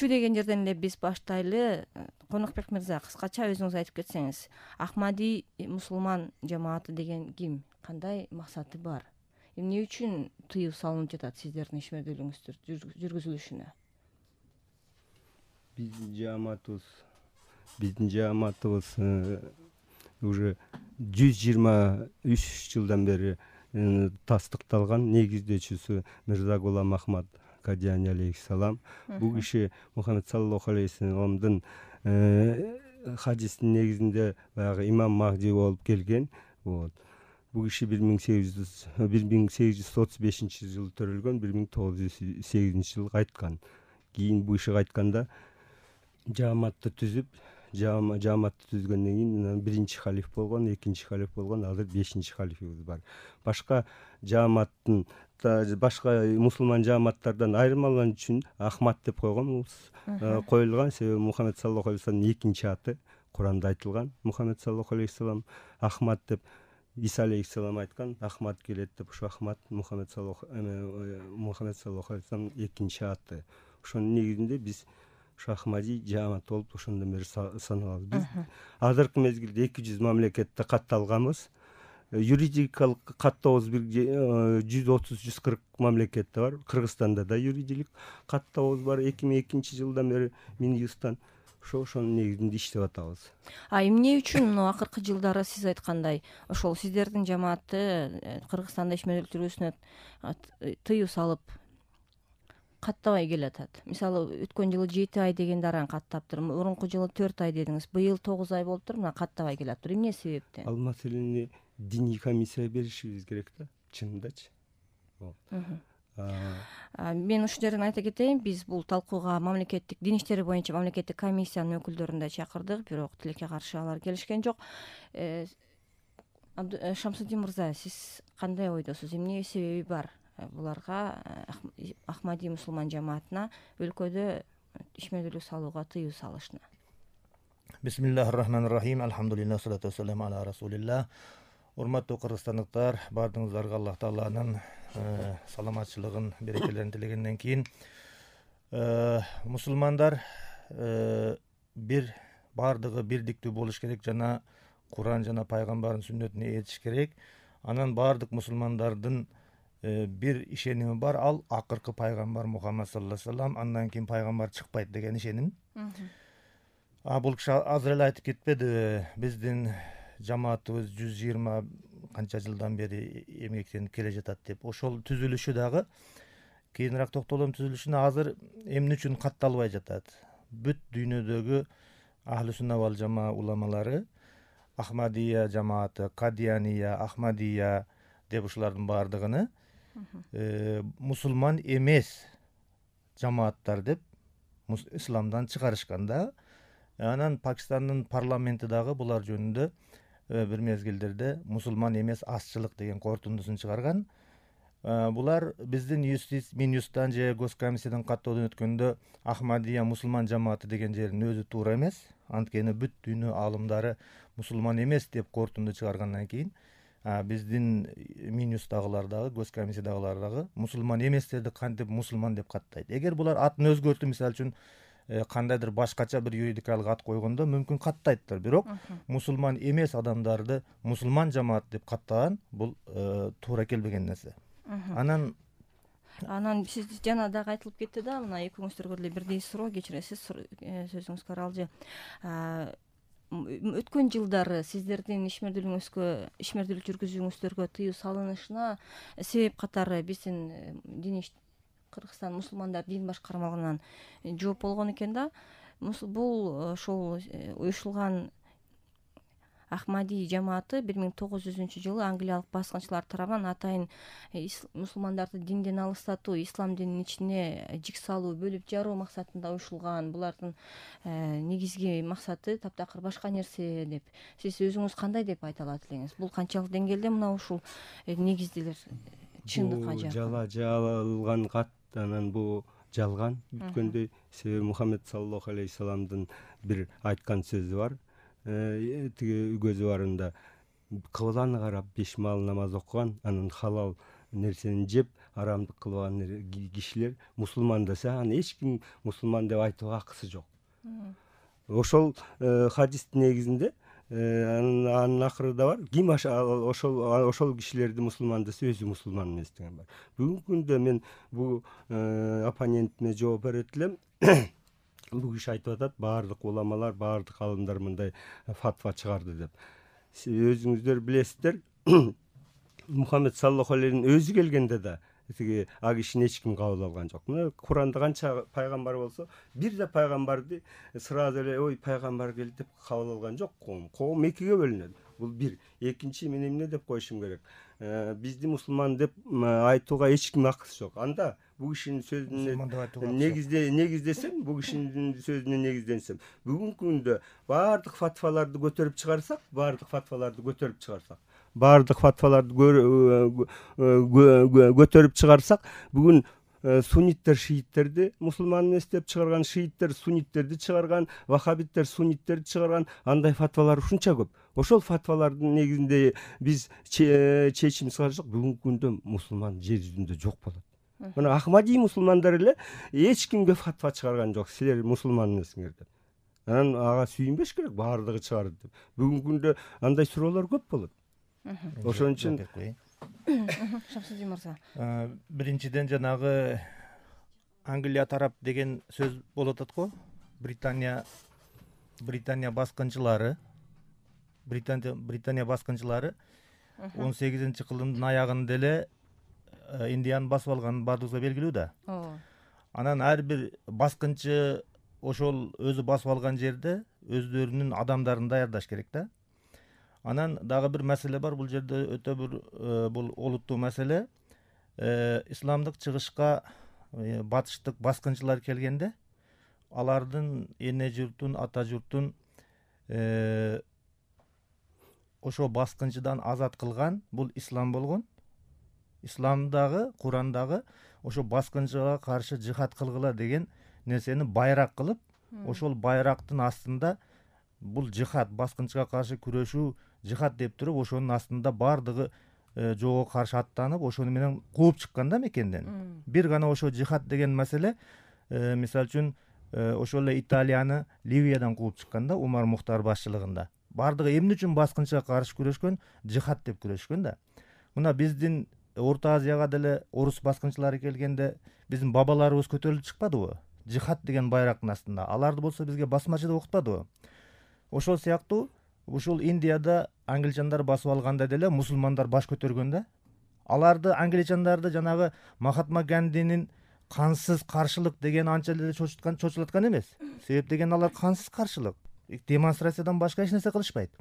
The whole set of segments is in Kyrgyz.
курчу деген жерден эле биз баштайлы. Конокбек мырза, кыскача өзүңүз айтып кетсеңиз, Ахмади мусулман жамааты деген ким, кандай максаты бар, эмне үчүн тыюу салынып жатат сиздердин ишмердүүлүгүңүздүн жүргүзүлүшүнө? Биздин жамаатыбыз уже 123 жылдан бери тастыкталган. Негиздөөчүсү Мирза Гулам Ахмад Кадияни алейхиссалам. Бул киши Мухаммед саллаллаху алейхи саламдын хадистин негизинде баягы имам Махди болуп келген. Бул киши 1835 жылы төрөлгөн, 1908 жылы кайткан. Кийин бул киши кайтканда жамаатты түзгөндөн кийин биринчи халиф болгон, экинчи халиф болгон, азыр 5-чи халифибиз бар. Башка мусулман жамааттардан айырмалануу үчүн Ахмад деп коюлган. Себеби Мухаммед саллаллаху алейхи саламдын экинчи аты Куранда айтылган. Мухаммед саллаллаху алейхи салам Ахмад деп Иса алейхиссалам айткан, Ахмад келет деп, ошо Ахмад Мухаммед саллаллаху алейхи саламдын экинчи аты. Ошонун негизинде биз Ахмади жамаат болуп ошондон бери саналабыз. Биз азыркы мезгилде 200 мамлекетте катталганбыз. Юридикалык каттообуз 130-140 мамлекетте бар. Кыргызстанда да юридикалык каттообуз бар. 2002 жылдан бери Минюсттан ошонун негизинде иштеп атабыз. Эмне үчүн акыркы жылдары сиз айткандай ошол сиздердин жамаатты Кыргызстанда ишмердүүлүк жүргүзүүсүнө тыюу салып каттабай келатат? Мисалы, өткөн жылы 7 ай деген даран каттаптыр, мурунку жылы 4 ай дедиңиз, быйыл 9 ай болуптур, мына каттабай келатыр. Эмне себептен? Ал маселени диний комиссия беришибиз керек да, чынындачы. Мен ушул жерден айта кетейин, биз бул талкууга мамлекеттик дин иштери боюнча мамлекеттик комиссиянын өкүлдөрүн да чакырдык, бирок тилекке каршы алар келишкен жок. Шамсудин мырза, сиз кандай ойдосуз? Эмне себеби бар буларга, Ахмади мусулман жамаатына өлкөдө ишмердүүлүк салууга тыюу салышына? Бисмиллахир-рахманир-рахим. Алхамдулиллах, салату вассаламу ала расулилlah. Урматтуу кыргызстандыктар, баардыгыңыздарга Аллах Тааланын саламатчылыгын, берекелерин тилегенден кийин, мусулмандар баардыгы бирдиктүү болуш керек жана Куран жана пайгамбардын сүннөтүнө ээрчиш керек. Анан баардык мусулмандардын бир ишеними бар, ал акыркы пайгамбар Мухаммад саллаллаху алейхи вассалам, андан кийин пайгамбар чыкпайт деген ишеним. Бул киши азыр эле айтып кетпедиби, биздин жамаатыбыз 120 канча жылдан бери эмгектенип келе жатат деп. Ошол түзүлүшү дагы кийинирээк токтолом түзүлүшүнө азыр эмне үчүн катталбай жатат? Бүт дүйнөдөгү Ахли сунна вал жамаа уламалары, Ахмадия жамааты, Кадияния, Ахмадия деп ушулардын баардыгыны мусулман эмес жамааттар деп исламдан чыгарышкан да. Анан Пакистандын парламенти дагы булар жөнүндө бир мезгилдерде мусулман эмес азчылык деген корутундусун чыгарган. Булар биздин Минюсттан же Госкомиссиядан каттоодон өткөндө Ахмадия мусулман жамааты деген жердин өзү туура эмес. Анткени бүт дүйнө аалымдары мусулман эмес деп корутунду чыгаргандан кийин биздин Минюстагылар дагы, Госкомиссиядагылар дагы мусулман эместерди кантип мусулман деп каттайт. Эгер булар атын өзгөртүп, мисалы үчүн кандайдыр башкача бир юридикалык ат койгондо мүмкүн каттайттыр, бирок мусулман эмес адамдарды мусулман жамаат деп каттаган бул туура келбеген нерсе. Анан сиз жана дагы айтылып кетти да, мына экөөңүздөргө деле бирдей суроо, кечиресиз, сөзүңүзгө аралжы. Өткөн жылдары сиздердин ишмердүүлүк жүргүзүүңүздөргө тыюу салынышына себеп катары биздин Кыргызстан мусулмандар дин башкармалыгынан жооп болгон экен да. Бул ошол уюшулган Ахмади жамааты 1900-жылы англиялык баскынчылар тарабынан атайын мусулмандарды динден алыстатуу, ислам дининин ичине жик салуу, бөлүп жаруу максатында уюшулган. Булардын негизги максаты таптакыр башка нерсе деп. Сиз өзүңүз кандай деп айта алат элеңиз? Бул канчалык деңгээлде мына ушул негиздилер чындыкка жакын? Жала жалган кат, анан бул жалган бүткөндөй. Себеби Мухаммед саллаллаху алейхи саламдын бир айткан сөзү бар. Тиги көзү барында кыбланы карап 5 маал намаз окуган, анан халал нерсени жеп, арамдык кылган кишилер мусулман десе аны эч ким мусулман деп айтууга акысы жок. Ошол хадистин негизинде анын акырында бар, ким ошол кишилерди мусулман десе өзү мусулман эмес деген бар. Бүгүнкү күндө мен бул оппонентиме жооп берет элем. Бул киши айтып атат, баардык уламалар, баардык алымдар мындай фатва чыгарды деп. Өзүңүздөр билесиздер, Мухаммед саллаллаху алейхи өзү келгенде да тиги а кишини эч ким кабыл алган жок. Мына Куранда канча пайгамбар болсо, бир да пайгамбарды сразу эле ой пайгамбар келди деп кабыл алган жок коом. Коом экиге бөлүнөт. Бул бир. Экинчи мен эмне деп коюшум керек? Бизди мусулман деп айтууга эч ким акысы жок. Анда бул кишинин сөзүнө негиздесем, бул кишинин сөзүнө негизденсем, бүгүнкү күндө баардык фатваларды көтөрүп чыгарсак, бүгүн сунниттер шииттерди мусулман эмес деп чыгарган, шииттер сунниттерди чыгарган, вахабиттер сунниттерди чыгарган, андай фатвалар ушунча көп. Ошол фатвалардын негизинде биз чечим чыгарсак, бүгүнкү күндө мусулман жер жүзүндө жок болот. Мына Ахмади мусулмандар эле эч кимге фатва чыгарган жок, силер мусулман эмесиңер деп. Анан ага сүйүнбеш керек, баардыгы чыгарды деп. Бүгүнкү күндө андай суроолор көп болот. Ошон үчүн Шамсудин мырза, биринчиден жанагы Англия тарап деген сөз болуп атат го. Британия баскынчылары 18-кылымдын аягында эле Индияны басып алганын баардыгыбызга белгилүү да. Анан ар бир баскынчы ошол өзү басып алган жерде өздөрүнүн адамдарын даярдаш керек да. Анан дагы бир маселе бар, бул жерде өтө бир бул олуттуу маселе. Исламдык чыгышка батыштык баскынчылар келгенде, алардын эне журтун, ата журтун ошо баскынчыдан азат кылган бул ислам болгон. Исламдагы, Курандагы ошо баскынчыга каршы жихад кылгыла деген нерсени байрак кылып, ошол байрактын астында бул жихад, баскынчыга каршы күрөшүү жихад деп туруп, ошонун астында баардыгы жоого каршы аттанып, ошону менен кууп чыккан да мекенден. Бир гана ошо жихад деген маселе, мисалы үчүн ошол эле Италияны Ливиядан кууп чыккан да, Умар Мухтар башчылыгында. Баардыгы эмне үчүн баскынчыга каршы күрөшкөн? Жихад деп күрөшкөн да. Мына биздин Орто Азияга деле орус баскынчылары келгенде биздин бабаларыбыз көтөрүлүп чыкпадыбы? Жихад деген байрактын астында. Аларды болсо бизге басмачыда окутпадыбы? Ошол сыяктуу ушул Индияда англичандар басып алганда деле мусулмандар баш көтөргөн да. Аларды англичандарды жанагы Махатма Гандинин кансыз каршылык деген анча эле чочулаткан эмес. Себеп деген алар кансыз каршылык, демонстрациядан башка эч нерсе кылышпайт.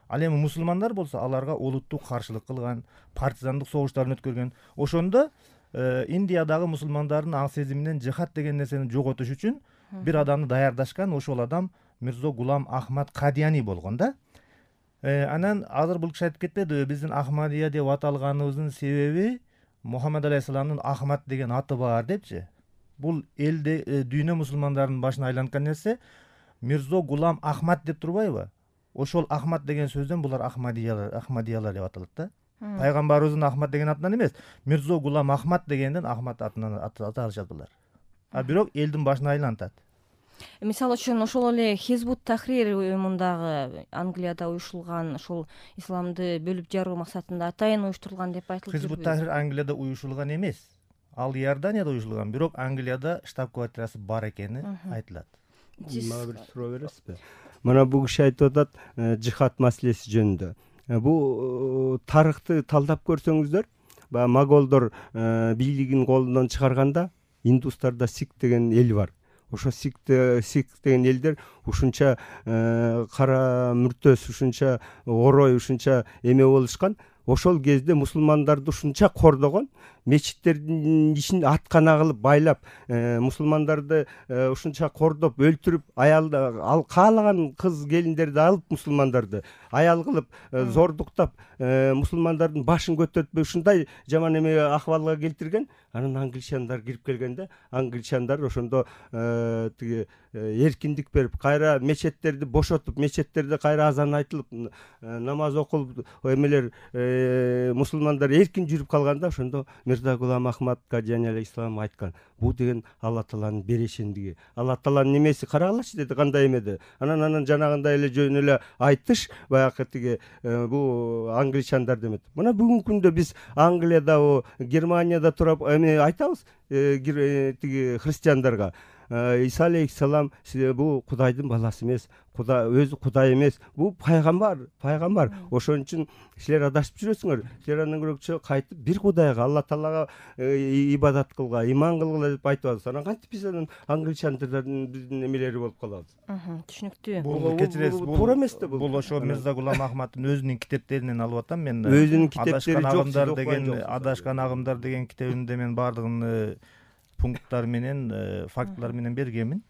Ал эми мусулмандар болсо аларга олуттуу каршылык кылган, партизандык согуштарын өткөргөн. Ошондо Индиядагы мусулмандардын аң сезиминен жихад деген нерсени жоготуш үчүн бир адамды даярдашкан, ошол адам Мирзо Гулам Ахмад Кадияни болгон да. Анан азыр бул киши айтып кетпедиби, биздин Ахмадия деп аталганыбыздын себеби Мухаммед алейхисаламдын Ахмад деген аты бар депчи. Бул элде дүйнө мусулмандарынын башына айланткан нерсе Мирзо Гулам Ахмад деп турбайбы? Ошол Ахмад деген сөздөн булар Ахмадиялар деп аталат да. Пайгамбарыбыздын Ахмад деген атынан эмес, Мирзо Гулам Ахмад дегенден Ахмад атынан аталышат булар. А бирок элдин башына айлантат. Мисалы үчүн ошол эле Хизбут Тахрир уюмундагы Англияда уюшулган ошол исламды бөлүп жаруу максатында атайын уюштурулган деп айтылып жүрбү. Хизбут Тахрир Англияда уюшулган эмес. Ал Иорданияда уюшулган, бирок Англияда штаб-квартирасы бар экени айтылат. Мага бир суроо бересизби? Мына бул киши айтып атат жихад маселеси жөнүндө. Бул тарыхты талдап көрсөңүздөр, баягы моголдор бийлигин колунан чыгарганда индустарда Сик деген эл бар. Ошо Сик деген элдер ушунча кара мүртөс, ушунча орой, ушунча эме болушкан. Ошол кезде мусулмандарды ушунча кордогон, мечиттердин ишин аткана кылып байлап, мусулмандарды ушунча кордоп, өлтүрүп, ал каалаган кыз келиндерди алып мусулмандарды аял кылып, зордуктап, мусулмандардын башын көтөртпөй ушундай жаман эме акыбалга келтирген. Анан англичандар кирип келгенде, англичандар ошондо тиги эркиндик берип, кайра мечеттерди бошотуп, мечеттерде кайра азан айтылып, намаз окулуп, эмелер мусулмандар эркин жүрүп калганда, ошондо Мирза Гулам Ахмад Кадияни алейхисалам айткан, бул деген Алла Тааланын берешендиги. Алла Тааланын немеси карагылачы деди, кандай эме. Анан жанагындай эле жөн эле айтыш баягы тиги бул англичандар демек. Мына бүгүнкү күндө биз Англияда, Германияда туруп эме айтабыз тиги христиандарга. Иса алейхисалам бул Кудайдын баласы эмес, өзү Кудай эмес, бул пайгамбар. Ошон үчүн силер адашып жүрөсүңөр. Силер андан көрөкчө кайтып бир Кудайга, Алла Таалага ибадат кылгыла, иман кылгыла деп айтабыз. Анан кантип биз анан англичандардын биздин эмелери болуп калабыз? Түшүнүктүү. Бул кечиресиз, туура эмес да бул. Бул ошо Мирза Гулам Ахмадтын өзүнүн китептеринен алып атам мен. Өзүнүн китептери жок. Адашкан агымдар деген китебимде мен баардыгын пункттар менен, фактылар менен бергенмин.